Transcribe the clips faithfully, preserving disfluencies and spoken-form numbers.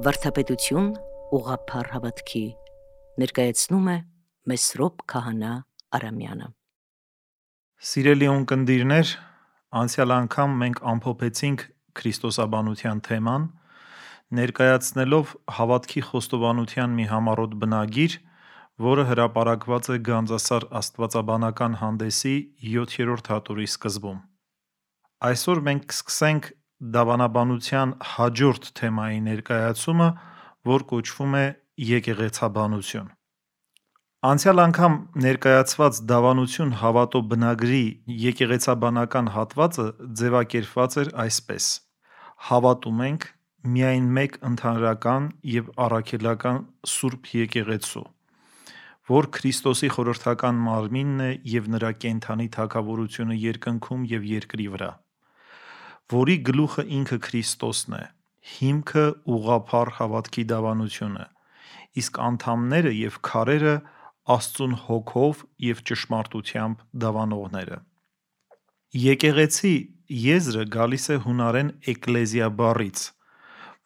Վարդապետություն ուղղափառ հավատքի ներկայացնում է Մեսրոպ Քահանա Արամյանը։ Սիրելի ունկնդիրներ, անցյալ անգամ մենք ամփոփեցինք քրիստոսաբանության թեման, ներկայացնելով հավատքի խոստովանության մի համառոտ բնագիր, որը հրապարակված է Գանձասար աստվածաբանական հանդեսի յոթերորդ հատորի սկզբում։ Այսօր մենք կսկսենք դավանաբանության հաջորդ թեմայի ներկայացումը, որ կոչվում է եկեղեցաբանություն։ Անցյալ անգամ ներկայացված դավանություն հավատո բնագրի եկեղեցաբանական հատվածը ձևակերպված էր այսպես. հավատում ենք միայն մեկ ընդհանրական և առաքելական Սուրբ Եկեղեցու, որ Քրիստոսի խորհրդական մարմինն է և նրա կենդանի թագավորությունը երկնքում և երկրի վրա, որի գլուխը ինքը Քրիստոսն է, հիմքը ուղղափառ հավատքի դավանությունը, իսկ անդամները և քարերը Աստծուն հոգով և ճշմարտությամբ դավանողները։ Եկեղեցի եզրը գալիս է հունարեն էկլեզիա բառից,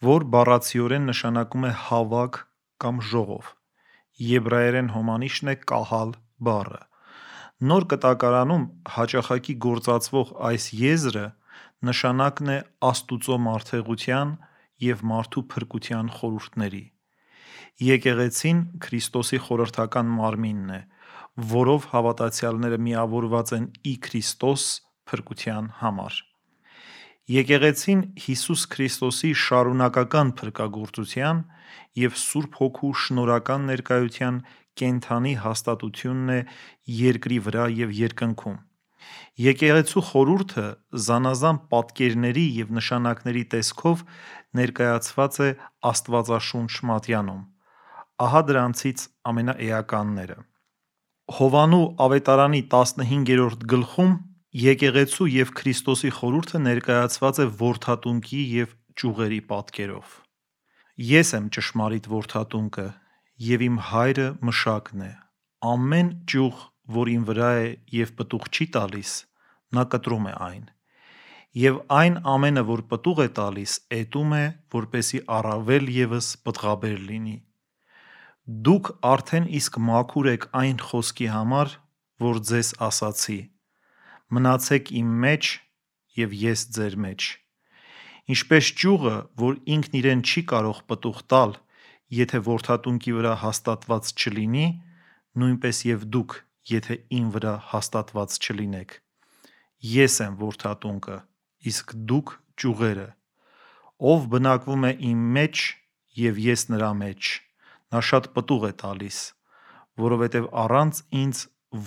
որ բառացիորեն նշանակում է հավաք կամ ժողով, եբրայերեն հոմանիշն է կահալ բառը։ Նոր կտակարանում հաճախակի գործածվող այս եզրը նշանակն է Աստուծո մարդեղության և մարդու փրկության խորհուրդների։ Եկեղեցին Քրիստոսի խորհրդական մարմինն է, որով հավատացյալները միավորված են ի Քրիստոս փրկության համար։ Եկեղեցին Հիսուս Քրիստոսի շարունակական փրկագործության և Սուրբ Հոգու շնորհական ներկայության կենդանի հաստատությունն է երկրի վրա և երկնքում։ Եկեղեցու խորհուրդը զանազան պատկերների և նշանակների տեսքով ներկայացված է Աստվածաշունչ մատյանում։ Ահա դրանցից ամենաէականները։ Հովհաննու ավետարանի տասնհինգերորդ գլխում եկեղեցու և Քրիստոսի խորհուրդը ներկայացված է որդատունկի և ճյուղերի պատկերով։ Ես եմ ճշմարիտ որդատունկը, և իմ Հայրը Մշակն է։ Ամեն ճյուղ, որ իմ վրա է և պտուղ չի տալիս, նա կտրում է այն, և այն ամենը, որ պտուղ է տալիս, էտում է, որպեսզի առավել ևս պտղաբեր լինի։ Դուք արդեն իսկ մաքուր եք այն խոսքի համար, որ ձեզ ասացի. մնացեք իմ մեջ, և ես ձեր մեջ։ Ինչպես ճյուղը, որ ինքն իրեն չի կարող պտուղ տալ, եթե որդատունկի վրա հաստատված չլինի, նույնպես և դուք, եթե իմ վրա հաստատված չլինեք։ Ես եմ որդատունկը, իսկ դուք ճյուղերը։ Ով բնակվում է իմ մեջ, և ես նրա մեջ, նա շատ պտուղ է տալիս, որովհետև առանց ինձ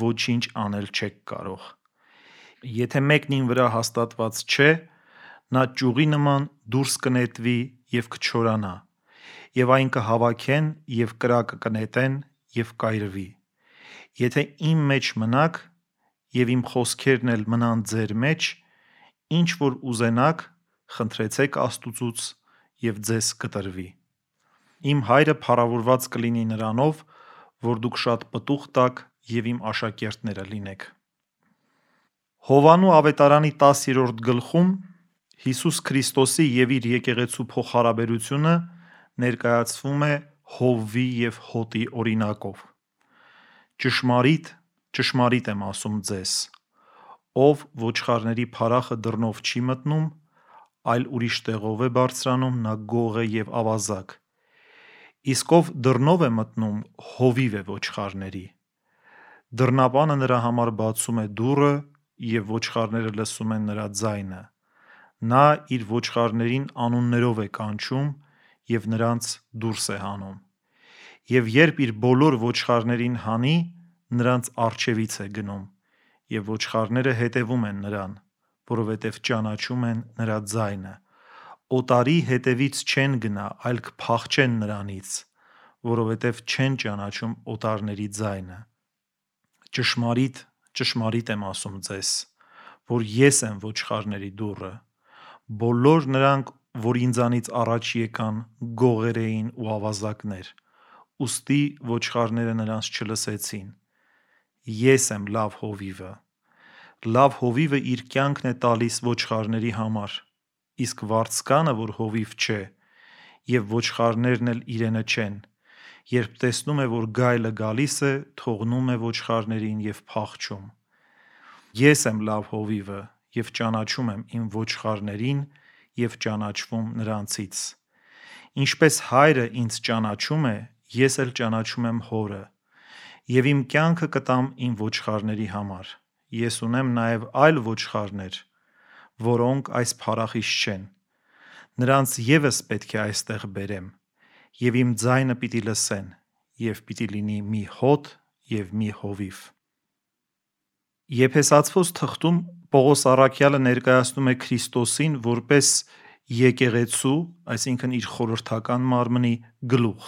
ոչինչ անել չեք կարող։ Եթե մեկն իմ վրա հաստատված չէ, նա ճյուղի նման դուրս կնետվի և կչորանա, և այն կհավաքեն և կրակը կնետեն և կայրվի։ Եթե իմ մեջ մնաք, և իմ խոսքերն էլ մնան ձեր մեջ, ինչ որ ուզենաք, խնդրեցեք Աստուծուց, և ձեզ կտրվի։ Իմ Հայրը փառավորված կլինի նրանով, որ դուք շատ պտուղ տաք և իմ աշակերտները լինեք։ Հովհաննու ավետարանի տասերորդ գլխում Հիսուս Քրիստոսի և իր եկեղեցու փոխհարաբերությունը ներկայացվում է հովվի և հոտի օրինակով։ Ճշմարիտ, ճշմարիտ եմ ասում ձեզ. ով ոչխարների փարախը դռնով չի մտնում, այլ ուրիշ տեղով է բարձրանում, նա գող է և ավազակ։ Իսկ ով դռնով է մտնում, հովիվ է ոչխարների։ Դռնապանը նրա համար բացում է դուռը, և ոչխարները լսում են նրա ձայնը։ Նա իր ոչխարներին անուններով է կանչում և նրանց դուրս է հանում։ Եվ երբ իր բոլոր ոչխարներին հանի, նրանց առջևից է գնում, և ոչխարները հետևում են նրան, որովհետև ճանաչում են նրա ձայնը։ Օտարի հետևից չեն գնա, այլ կփախչեն նրանից, որովհետև չեն ճանաչում օտարների ձայնը։ Ճշմարիտ, ճշմարիտ եմ ասում ձեզ, որ ես եմ ոչխարների դուռը։ Բոլոր նրանք, որ ինձանից առաջ եկան, գողեր էին ու ավազակներ, ուստի ոչխարները նրանց չլսեցին։ Ես եմ լավ հովիվը։ Լավ հովիվը իր կյանքն է տալիս ոչխարների համար, իսկ վարձկանը, որ հովիվ չէ, և ոչխարներն էլ իրենը չեն։ Երբ տեսնում է, որ գայլը գալիս է, թողնում է ոչխարներին և փախչում։ Ես եմ լավ հովիվը և ճանաչում եմ իմ ոչխարներին և ճանաչվում նրանցից։ Ինչպես Հայրը ինձ ճանաչում է, ես էլ ճանաչում եմ Հորը, և իմ կյանքը կտամ իմ ոչխարների համար։ Ես ունեմ նաև այլ ոչխարներ, որոնք այս փառախիչ չեն։ Նրանց ևս պետք է այստեղ բերեմ, և իմ ձայնը պիտի լսեն, և պիտի լինի մի հոտ և մի հովիվ։ Եփեսացվոց թղթում Պողոս առաքյալը ներկայացնում է Քրիստոսին որպես եկեղեցու, այսինքն իր խորհրդական մարմնի գլուխ։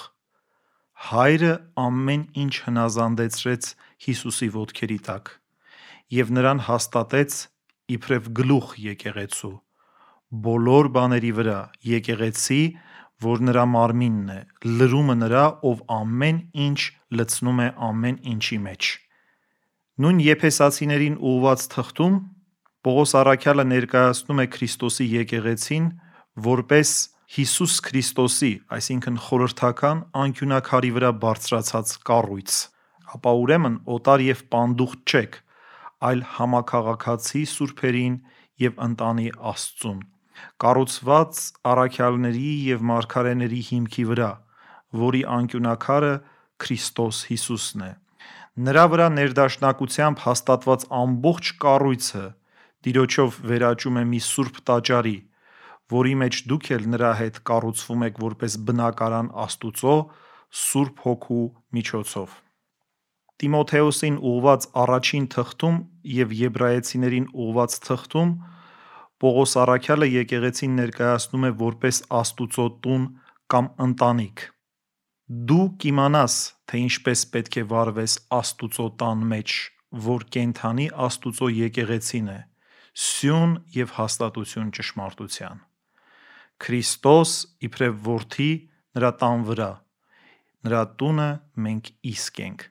Հայրը ամեն ինչ հնազանդեցրեց Հիսուսի ոտքերի տակ և նրան հաստատեց իբրև գլուխ եկեղեցու, բոլոր բաների վրա, եկեղեցի, որ նրա մարմինն է, լրումը նրա, ով ամեն ինչ լցնում է ամեն ինչի մեջ։ Նույն Եփեսացիներին ուղղված թղթում Պողոս առաքյալը ներկայացնում է Քրիստոսի եկեղեցին որպես Հիսուս Քրիստոսի, այսինքն խորհրդական անկյունաքարի վրա բարձրացած կառույց։ Ապա ուրեմն օտար և պանդուխտ չեք, այլ համաքաղաքացի սուրբերին և ընտանի Աստծուն, կառուցված առաքյալների և մարգարեների հիմքի վրա, որի անկյունաքարը Քրիստոս Հիսուսն է։ Նրա վրա ներդաշնակությամբ հաստատված ամբողջ կառույցը Տիրոջով վերաճում է մի սուրբ տաճարի, որի մեջ դուք էլ նրա հետ կառուցվում եք որպես բնակարան Աստուծո Սուրբ Հոգու միջոցով։ Տիմոթեոսին ուղղված առաջին թղթում և Եբրայեցիներին ուղղված թղթում Պողոս առաքյալը եկեղեցին ներկայացնում է որպես Աստուծո տուն կամ ընտանիք։ Դու կիմանաս, թե ինչպես պետք է վարվես Աստուծո տան մեջ, որ կենդանի Աստուծո եկեղեցին է, սյուն և հաստատություն ճշմարտության։ Քրիստոս իբրև որդի նրա տան վրա, նրա տունը մենք իսկ ենք։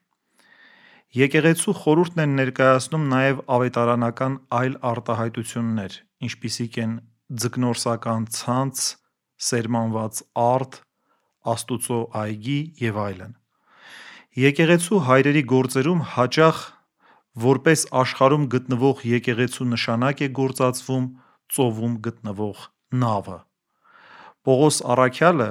Եկեղեցու խորհուրդն են ներկայացնում նաև ավետարանական այլ արտահայտություններ, ինչպիսիք են ձկնորսական ցանց, սերմանված արդ, Աստուծո այգի և այլն։ Եկեղեցու հայրերի գործերում հաճախ որպես աշխարհում գտնվող եկեղեցու նշանակ է գործածվում ծովում գտնվող նավը։ Պողոս առաքյալը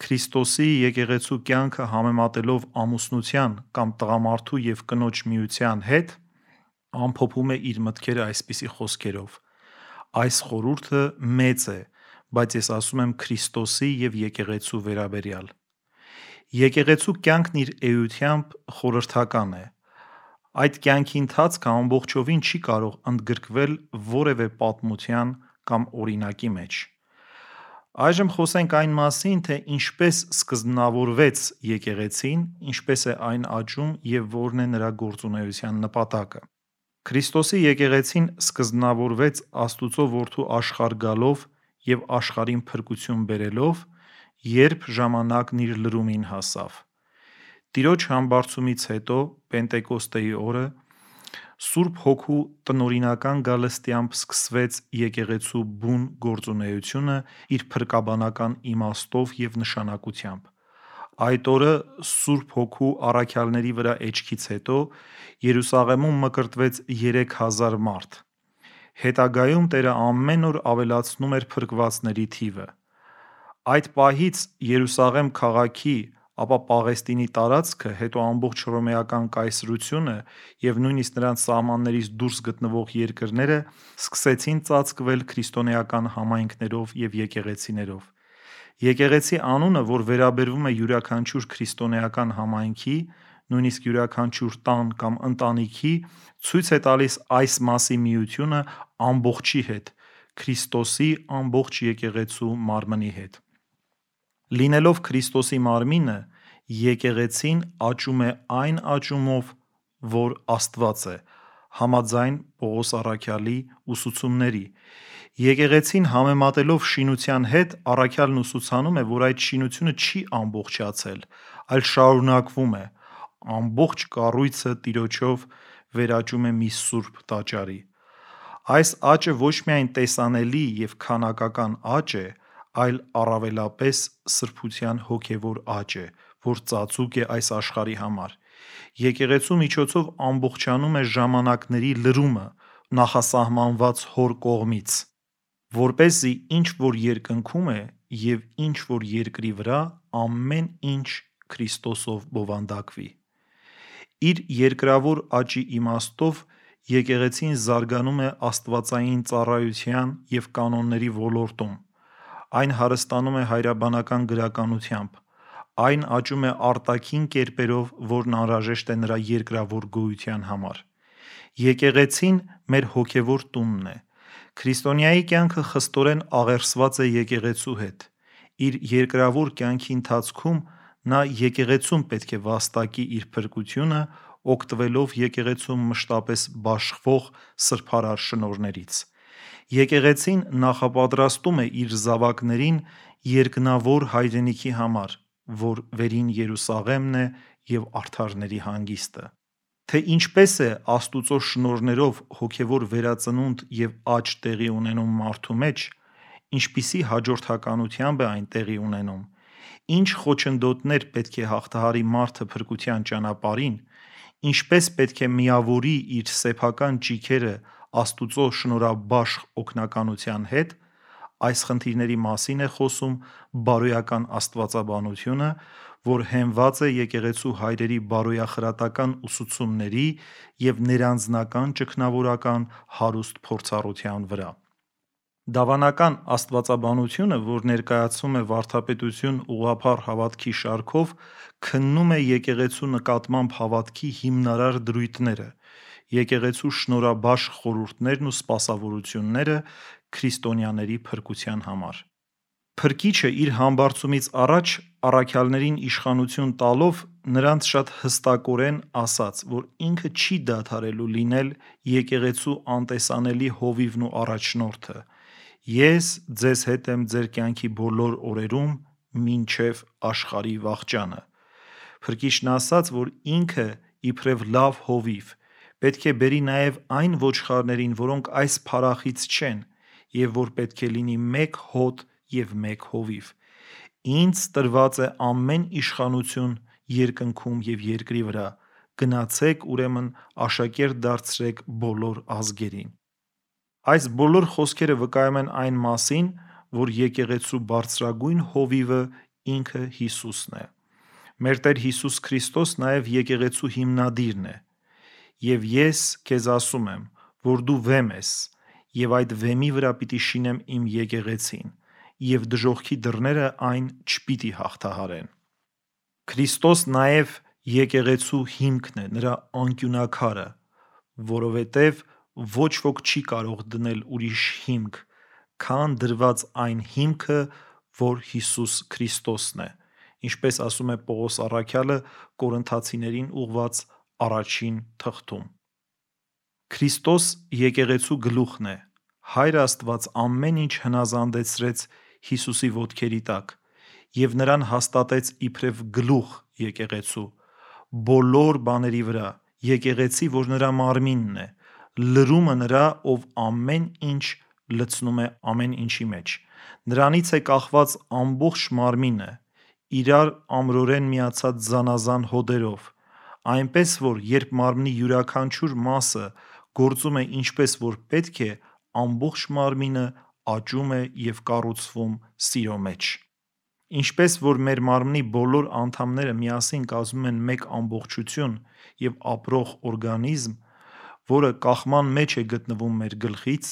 Քրիստոսի եկեղեցու կյանքը համեմատելով ամուսնության կամ տղամարդու և կնոջ միության հետ, ամփոփում է իր մտքերը այսպիսի խոսքերով. «Այս խորհուրդը մեծ է, բայց ես ասում եմ Քրիստոսի և եկեղեցու վերաբերյալ։ Եկեղեցու կյանքն իր էությամբ խորհրդական է։ Այդ կյանքի ընթացքը ամբողջովին չի կարող ընդգրկվել որևէ պատմության կամ օրինակի մեջ։ Այժմ խոսենք այն մասին, թե ինչպես սկզբնավորվեց եկեղեցին, ինչպես է այն աճում և որն է նրա գործունեության նպատակը։ Քրիստոսի եկեղեցին սկզբնավորվեց Աստուծո Որդու աշխարհ գալով և աշխարհին փրկություն բերելով, երբ ժամանակն իր լրումին հասավ։ Տիրոջ համբարձումից հետո Պենտեկոստեի օրը Սուրբ Հոգու տնօրինական գալստյամբ սկսվեց եկեղեցու բուն գործունեությունը իր փրկաբանական իմաստով և նշանակությամբ։ Այդ օրը Սուրբ Հոգու առաքյալների վրա էջքից հետո Երուսաղեմում մկրտվեց երեք հազար մարդ։ Հետագայում Տերը ամեն օր ավելացնում էր փրկվածների թիվը։ Այդ պահից Երուսաղեմ քաղաքի, ապա Պաղեստինի տարածքը, հետո ամբողջ հռոմեական կայսրությունը և նույնիսկ նրանց սահմաններից դուրս գտնվող երկրները սկսեցին ծածկվել քրիստոնեական համայնքներով և եկեղեցիներով։ Եկեղեցի անունը, որ վերաբերվում է յուրաքանչյուր քրիստոնեական համայնքի, նույնիսկ յուրաքանչյուր տան կամ ընտանիքի, ցույց է տալիս այս մասի միությունը ամբողջի հետ, Քրիստոսի ամբողջ եկեղեցու մարմնի հետ։ Լինելով Քրիստոսի մարմինը, եկեղեցին աճում է այն աճումով, որ Աստված է, համաձայն Պողոս առաքյալի ուսուցումների։ Եկեղեցին համեմատելով շինության հետ, առաքյալն ուսուցանում է, որ այդ շինությունը չի ամբողջացել, այլ շարունակվում է, ամբողջ կառույցը Տիրոջով վերաճում է մի սուրբ տաճարի։ Այս աճը ոչ միայն տեսանելի և քանակական աճ է, այլ առավելապես սրբության հոգևոր աճ է, որ ծածուկ է այս աշխարհի համար։ Եկեղեցու միջոցով ամբողջանում է ժամանակների լրումը նախասահմանված Հոր կողմից, որպեսզի ինչ որ երկնքում է և ինչ որ երկրի վրա, ամեն ինչ Քրիստոսով բովանդակվի։ Իր երկրավոր աճի իմաստով եկեղեցին զարգանում է աստվածային ծառայության և կանոնների ոլորտում, այն հարստանում է հայրաբանական գրականությամբ, այն աճում է արտաքին կերպերով, որն անհրաժեշտ է նրա երկրավոր գոյության համար։ Եկեղեցին մեր հոգևոր տունն է։ Քրիստոնյայի կյանքը խստորեն աղերսված է եկեղեցու հետ։ Իր երկրավոր կյանքի ընթացքում նա եկեղեցում պետք է վաստակի իր փրկությունը, օգտվելով եկեղեցում մշտապես բաշխվող սրբարար շնորհներից։ Եկեղեցին նախապատրաստում է իր զավակներին երկնավոր հայրենիքի համար, որ վերին Երուսաղեմն է և արդարների հանգիստը։ Թե ինչպես է Աստուծո շնորհներով հոգևոր վերածնունդ և աճ տեղի ունենում մարդու մեջ, ինչպիսի հաջորդականությամբ է այն տեղի ունենում, ինչ խոչընդոտներ պետք է հաղթահարի մարդը փրկության ճանապարհին, ինչպես պետք է միավորի իր սեփական ճիգերը Աստուծո շնորհաբաշխ օգնականության հետ, այս խնդիրների մասին է խոսում բարոյական աստվածաբանությունը, որ հենված է եկեղեցու հայրերի բարոյախրատական ուսուցումների և ներանձնական ճգնավորական հարուստ փորձառության վրա։ Դավանական աստվածաբանությունը, որ ներկայացվում է վարդապետություն ուղղափառ հավատքի շարքով, քննում է եկեղեցու նկատմամբ հավատքի հիմնարար դրույթները, եկեղեցու շնորհաբաշխ խորհուրդներն ու սպասավորությունները քրիստոնյաների փրկության համար։ Փրկիչը իր համբարձումից առաջ առաքյալներին իշխանություն տալով նրանց շատ հստակորեն ասաց, որ ինքը չի դադարելու լինել եկեղեցու անտեսանելի հովիվն ու առաջնորդը։ Ես ձեզ հետ եմ ձեր կյանքի բոլոր օրերում մինչև աշխարհի վախճանը։ Փրկիչն ասաց, որ ինքը իբրև լավ հովիվ պետք է բերի նաև այն ոչխարներին, որոնք այս փարախից չեն, և որ պետք է լինի մեկ հոտ և մեկ հովիվ։ Ինձ տրված է ամեն իշխանություն երկնքում և երկրի վրա, գնացեք ուրեմն աշակերտ դարձրեք բոլոր ազգերին։ Այս բոլոր խոսքերը վկայում են այն մասին, որ եկեղեցու բարձրագույն հովիվը ինքը Հիսուսն է։ Մեր Տեր Հիսուս Քրիստոս նաև եկեղեցու հիմնադիրն է։ Եվ ես քեզ ասում եմ, որ դու վեմ ես, և այդ վեմի վրա պիտի շինեմ իմ եկեղեցին, և դժոխքի դռները այն չպիտի հաղթահարեն։ Քրիստոս նաև եկեղեցու հիմքն է, նրա անկյունաքարը, որովհետև ոչ ոք չի կարող դնել ուրիշ հիմք, քան դրված այն հիմքը, որ Հիսուս Քրիստոսն է, ինչպես ասում է Պողոս առաքյալը Կորինթացիներին ուղղված առաջին թղթում։ Քրիստոս եկեղեցու գլուխն է։ Հայր Աստված ամեն ինչ հնազանդեցրեց Հիսուսի ոտքերի տակ և նրան հաստատեց իբրև գլուխ եկեղեցու, բոլոր բաների վրա, եկեղեցի, որ նրա մարմինն է, լրումը նրա, ով ամեն ինչ լցնում է ամեն ինչի մեջ։ Նրանից է կախված ամբողջ մարմինը, իրար ամրորեն միացած զանազան հոդերով, այնպես որ երբ մարմնի յուրաքանչյուր մասը գործում է ինչպես որ պետք է, ամբողջ մարմինը աճում է և կառուցվում սիրո մեջ։ Ինչպես որ մեր մարմնի բոլոր անդամները միասին կազմում են մեկ ամբողջություն և ապրող օրգանիզմ, որը կախման մեջ է գտնվում մեր գլխից,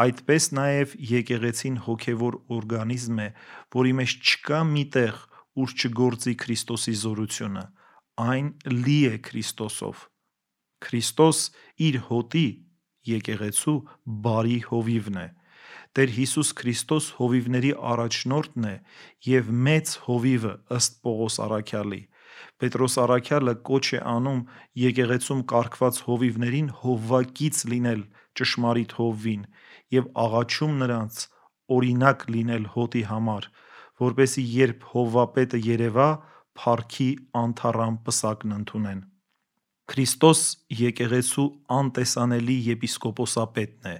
այդպես նաև եկեղեցին հոգևոր օրգանիզմ է, որի մեջ չկա մի տեղ, ուր չգործի Քրիստոսի զորությունը, այն լի է Քրիստոսով։ Քրիստոս իր հոտի՝ եկեղեցու բարի հովիվն է։ Տեր Հիսուս Քրիստոս հովիվների առաջնորդն է և մեծ հովիվը ըստ Պողոս առաքյալի։ Պետրոս առաքյալը կոչ է անում եկեղեցում կարգված հովիվներին հովվակից լինել ճշմարիտ հովվին և աղաչում նրանց օրինակ լինել հոտի համար, որպեսզի երբ հովվապետը երևա, փառքի անթառամ պսակն ընդունեն։ Քրիստոս եկեղեցու անտեսանելի եպիսկոպոսապետն է։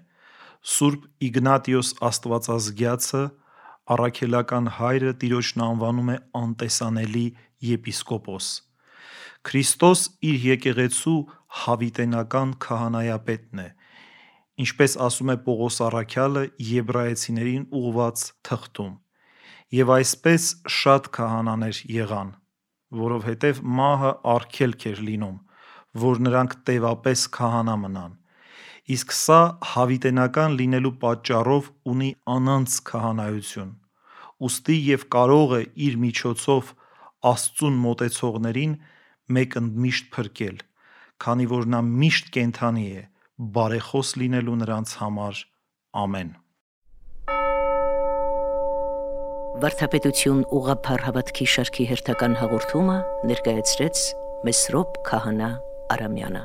Սուրբ Իգնատիոս աստվածազգյացը առաքելական հայրը Տիրոջն անվանում է անտեսանելի եպիսկոպոս։ Քրիստոս իր եկեղեցու հավիտենական քահանայապետն է, ինչպես ասում է Պողոս առաքյալը Եբրայեցիներին ուղված թղթում. «Եվ այսպես շատ քահանաներ եղան, որովհետև մահը արգելք էր լինում, որ նրանք տևապես քահանա մնան, իսկ սա հավիտենական լինելու պատճառով ունի անանց քահանայություն, ուստի և կարող է իր միջոցով Աստծուն մոտեցողներին մեկընդմիշտ փրկել, քանի որ նա միշտ կենդանի է, բարեխոս լինելու նրանց համար։ Ամեն»։ Վարդապետություն ուղղափառ հավատքի շարքի հերթական հաղորդումը ներկայացրեց Մեսրոպ Քահանա Արամյանը։